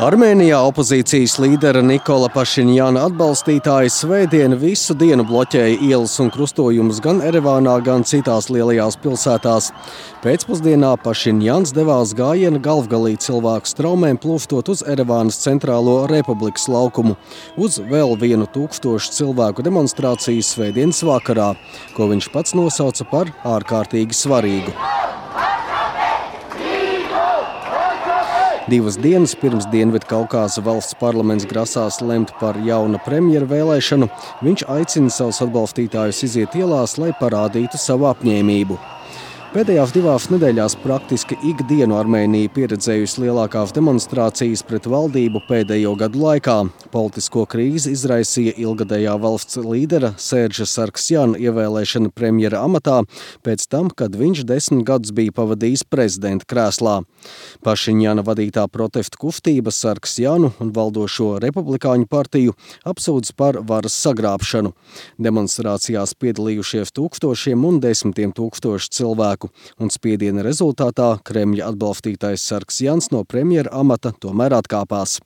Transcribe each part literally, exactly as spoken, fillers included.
Armēnijā opozīcijas līdera Nikola Pašinjana atbalstītāji svētdien visu dienu bloķēja ielas un krustojumus gan Erevānā, gan citās lielajās pilsētās. Pēcpusdienā Pašinjans devās gājiena galvgalī cilvēku straumēm plūstot uz Erevānas centrālo Republikas laukumu, uz vēl vienu tūkstošu cilvēku demonstrāciju svētdienas vakarā, ko viņš pats nosauca par ārkārtīgi svarīgu. Divas dienas pirms Dienvidkaukāza valsts parlaments grasās lemt par jauna premjera vēlēšanu, viņš aicina savus atbalstītājus iziet ielās, lai parādītu savu apņēmību. Pēdējās divās nedēļās praktiski ikdienu Armēnija pieredzējusi lielākās demonstrācijas pret valdību pēdējo gadu laikā. Politisko krīzi izraisīja ilgadējā valsts līdera Sērža Sargsjana ievēlēšana premjera amatā pēc tam, kad viņš desmit gadus bija pavadījis prezidenta krēslā. Pašiņjana vadītā protesta kustība Sargsjanu un valdošo republikāņu partiju apsūdz par varas sagrābšanu. Demonstrācijās piedalījušies tūkstošiem un desmitiem tūkstošu cilvēku. Un spiediena rezultātā Kremļa atbalstītais Sargsjans no premjera amata tomēr atkāpās.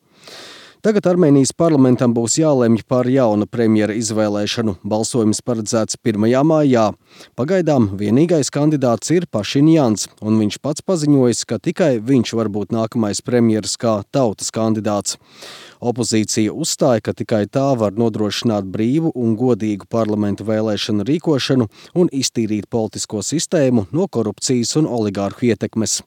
Tagad Armēnijas parlamentam būs jālemj par jauna premjera izvēlēšanu. Balsojums paredzēts pirmajā maijā. Pagaidām vienīgais kandidāts ir Pašiņjans, un viņš pats paziņojis, ka tikai viņš var būt nākamais premjeras kā tautas kandidāts. Opozīcija uzstāja, ka tikai tā var nodrošināt brīvu un godīgu parlamentu vēlēšanu rīkošanu un iztīrīt politisko sistēmu no korupcijas un oligārhu ietekmes.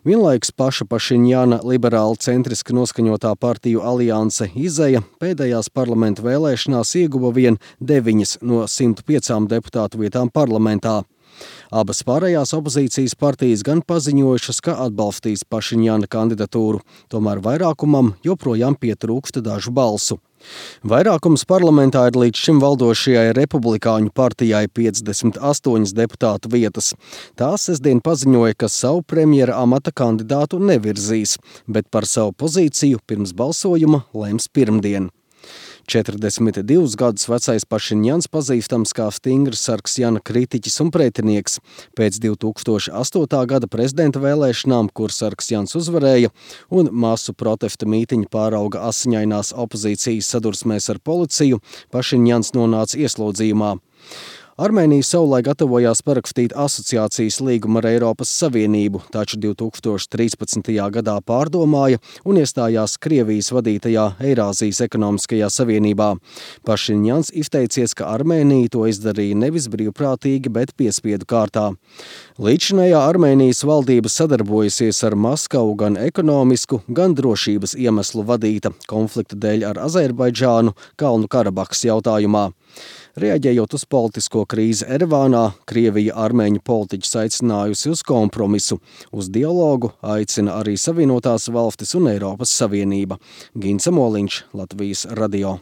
Vienlaikus paša Pašiņjana liberāli centriski noskaņotā partiju alianse Izeja pēdējās parlamentu vēlēšanās ieguva vien deviņas no simt piecām deputātu vietām parlamentā. Abas pārējās opozīcijas partijas gan paziņojušas, ka atbalstīs Pašiņjana kandidatūru, tomēr vairākumam joprojām pietrūksta dažu balsu. Vairākums parlamentā ir līdz šim valdošajai republikāņu partijai piecdesmit astoņas deputātu vietas. Tā sestdien paziņoja, ka savu premjera amata kandidātu nevirzīs, bet par savu pozīciju pirms balsojuma lems pirmdien. četrdesmit divus gadus vecais Pašiņjans pazīstams kā stingrs Sargsjana kritiķis un pretinieks. Pēc divi tūkstoši astotā gada prezidenta vēlēšanām, kur Sargsjans uzvarēja, un masu protesta mītiņu pārauga asiņainās opozīcijas sadursmēs ar policiju, Pašiņjans nonāca ieslodzījumā. Armēnija savulaik gatavojās parakstīt asociācijas līgumu ar Eiropas Savienību, taču divi tūkstoši trīspadsmitajā gadā pārdomāja un iestājās Krievijas vadītajā Eirāzijas ekonomiskajā savienībā. Pašiņjans izteicies, ka Armēnija to izdarīja nevis brīvprātīgi, bet piespiedu kārtā. Līdzinējā Armēnijas valdība sadarbojusies ar Maskavu gan ekonomisku, gan drošības iemeslu vadīta konflikta dēļ ar Azerbaidžānu Kalnu Karabahas jautājumā. Reaģējot uz politisko krīzi Erevānā, Krievija armēņu politiķus aicinājusi uz kompromisu. Uz dialogu aicina arī Savienotās valstis un Eiropas Savienība. Gints Amoliņš, Latvijas radio.